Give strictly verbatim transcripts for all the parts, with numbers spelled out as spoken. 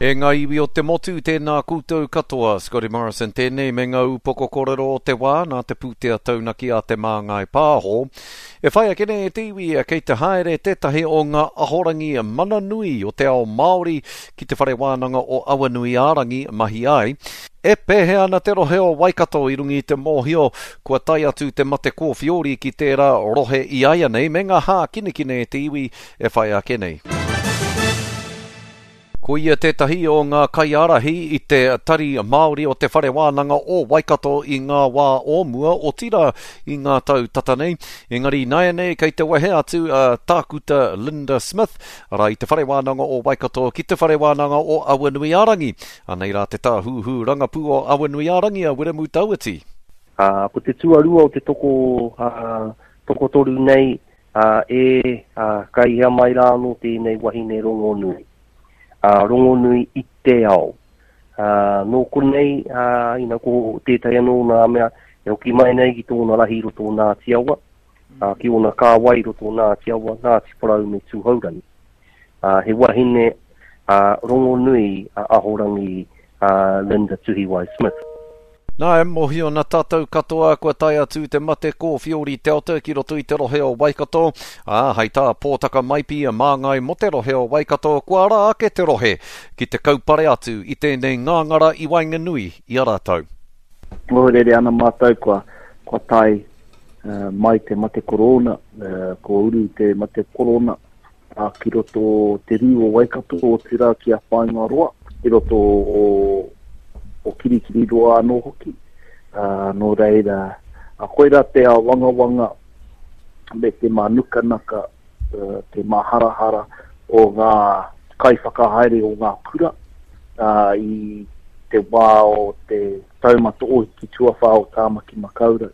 E ngā iwi o te motu, tēnā koutou katoa. Scotty Morrison tēnei me ngā upoko kōrero o te wā nā te pūtea taunaki a Te Māngai Pāho. E whai ake nei e te iwi kei te haere tētahi o ngā ahorangi mana nui o te ao Māori ki te whare wānanga o Awanuiārangi mahi ai. E pēhea ana te rohe o Waikato i runga i te mōhio kua tae atu te mate kōwhiori ki tērā rohe i aianei me ngā hākinakina e te iwi e whai ake nei. Ko ia tētahi o ngā kaiārahi i te Tari Māori o te Whare Wānanga o Waikato i ngā wā o mua, otirā i ngā tau tata nei. Engari nāianei kei te wehe atu a Tākuta Linda Smith, arā i te Whare Wānanga o Waikato ki te Whare Wānanga o Awanuiārangi. Anei rā te tāhuhu rangapū o Awanuiārangi a Wiremu Tauiti. Ā, ko te tuarua o te toko, ā, tokotoru nei, ā, e, ā, kai hea mai rā anō tēnei wahine rongonui. Ā, rongonui i te ao. Ā, nō konei, ā, ina ko tētahi anō nā mea e hoki mai nei ki tōna rahi i roto o Ngāti Awa, ā, ki ōna kāwai i roto o Ngāti Awa, Ngāti Porou me Tūhourangi. Ā, he wahine, ā, rongonui a Ahorangi, ā, Linda Tuhiwai Smith. Nā, e mōhio ana tātou katoa kua tae atu te mate kōwhiori Delta ki roto i te rohe o Waikato, ā, hei tā Pōtaka Maipi a Māngai mō te rohe o Waikato, kua ara ake te rohe ki te kaupare atu i tēnei ngāngara i waenganui i a rātou. Ohorere ana mātou kua, kua tae uh, mai te mate korona, uh, kua uru te mate korona uh, ki roto te riu o Waikato, otirā ki a Whāingaroa, ki roto o o Kirikiriroa anō hoki. Uh, nō reira, a koira te āwangawanga me te mānukanaka, uh, te māharahara o ngā kaiwhakahaere o ngā kura uh, i te wā o te taumata ohiti tuawhā o Tāmaki Makaurau.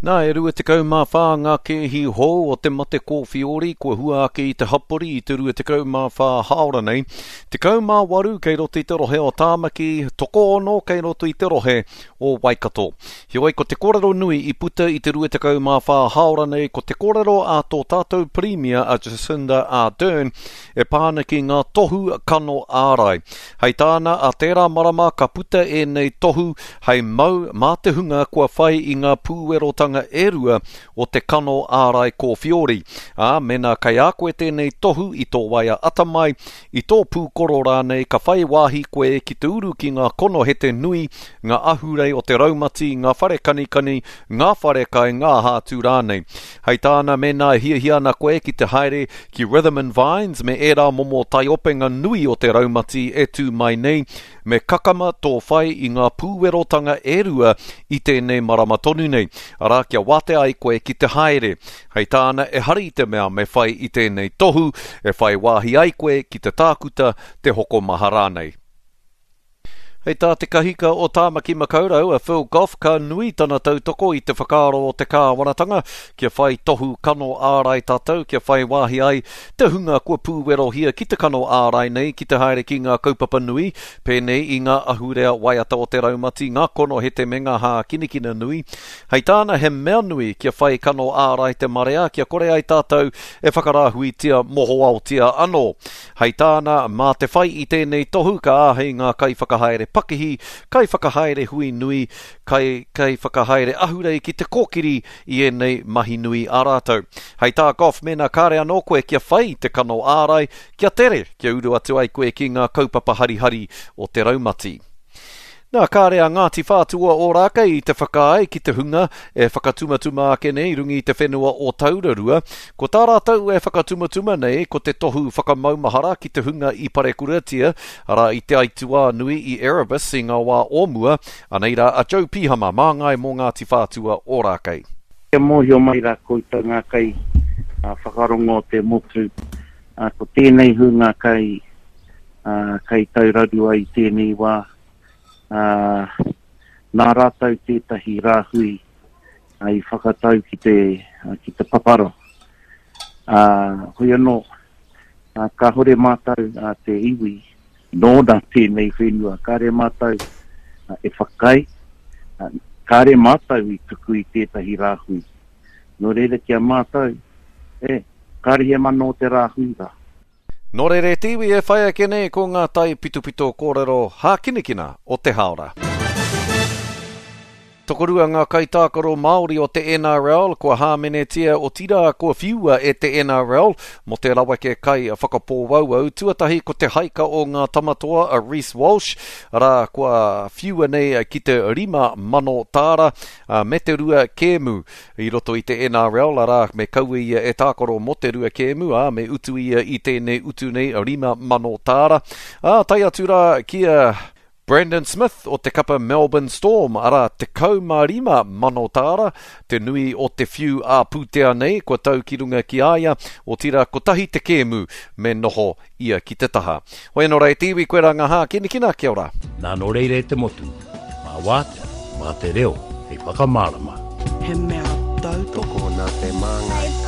Nā, e rua tekau mā whā ngā kēhi hou o te mate kōwhiori kua hua ake i te hapori i te rua tekau mā whā hāora nei. Tekau mā waru kei roto i te rohe o Tāmaki, tokoono kei roto i te rohe o Waikato. Heoi, ko te kōrero nui i puta i te rua tekau mā whā hāora nei, ko te kōrero a tō tātou Pirimia a Jacinda Ardern e pā ana ki ngā tohu kano ārai. Hei tāna, a tērā marama ka puta ēnei tohu hei mau mā te hunga kua whai i ngā pūwerotanga e rua o te kano ārai kōwhiori. Ā, mēnā kei a koe tēnei tohu i tō waea atamai, i tō pūkoro rānei, ka whai wāhi koe ki te uru ki ngā konohete nui, ngā ahurei o te raumati, ngā whare kanikani, ngā whare kai, ngā hātu rānei. Hei tāna, mēnā e hiahia ana koe ki te haere ki Rhythm and Vines me ērā momo taiopenga nui o te raumati e tū mai nei, me kakama tō whai i ngā pūwerotanga e rua i tēnei marama tonu nei. Arā, kia wātea ai koe ki te haere. Hei tāna, e hari te mea me whai i tēnei tohu, e whai wāhi ai koe ki te tākuta, te hokomaha rānei. Hei tā te kahika o Tāmaki Makaurau, a Phil Goff, ka nui tana tautoko i te whakaaro o te kāwanatanga kia whai tohu kano ārai tātou, kia whai wāhi ai te hunga kua pūwerohia ki te kano ārai nei, ki te haere ki ngā kaupapa nui, pēnei i ngā ahurea waiata o te raumati, ngā konohete me ngā hākinakina nui. Hei tāna, he mea nui kia whai kano ārai te marea, kia kore ai tātou e whakarāhuitia mohoaotia anō. Hei tāna, mā te whai i tēnei tohu ka āhei ngā kaiwhakahaere pakihi, kaiwhakahaere hui nui, kai, kaiwhakahaere ahurei ki te kōkiri i ēnei mahi nui a rātou. Hei tā Goff, mēnā kāre anō koe kia whai te kano ārai, kia tere, kia uru atu ai koe ki ngā kaupapa harihari o te raumati. Nā, kāre a Ngāti Whātua Ōrākei i te whakaae ki te hunga e whakatumatuma ake nei i runga i te whenua o Taurarua. Ko tā rātou e whakatumatuma nei ko te tohu whakamaumahara ki te hunga i parekuratia, arā i te aituā nui i Erebus i ngā wā o mua, anei rā a Joe Pihama, māngai mō Ngāti Whātua Ōrākei. Kia mōhio mai rā koutou ngā kai, ā, whakarongo o te motu, ā, ko tēnei hunga kai, ā, kai Taurarua i tēnei wā, ā, nā rātou tētahi rāhui, ā, i whakatau ki te, ā, ki te paparo. Ā, hoi anō, ā, kāhore mātou, ā, te iwi, nōna tēnei whenua, kāre mātou, ā, e whakai, ā, kāre mātou i tuku i tētahi rāhui. Nō reira ki a mātou, e, kāre he mana o te rāhui rā. Nō reira e te iwi e whai ake nei ko ngā taipitopito kōrero hākinakina o te hāora. Tokorua ngā kaitākaro Māori o te N R L kua hāmenetia, otirā kua whiua e te N R L mō te raweke kai whakapōauau. Tuatahi ko te haika o ngā tamatoa a Reece Walsh, arā kua whiua nei ki te rima mano tāra me te rua kēmu i roto i te N R L, arā me kaua ia e tākaro mō te rua kēmu, ā, me utu ia i tēnei utu nei rima mano tāra. Ā, tae atu rā ki a Brandon Smith o te kapa Melbourne Storm, arā tekau mā rima mano tāra, te nui o te whiu ā-pūtea nei kua tau ki runga ki a ia, otirā kotahi te kēmu me noho ia ki te taha. Hoi anō rā e te iwi, koirā ngā hākinakina, kia ora. Nā nō reira e te motu, mā wātea, mā te reo, hei whakamārama. He mea tautoko Tokona te māngai.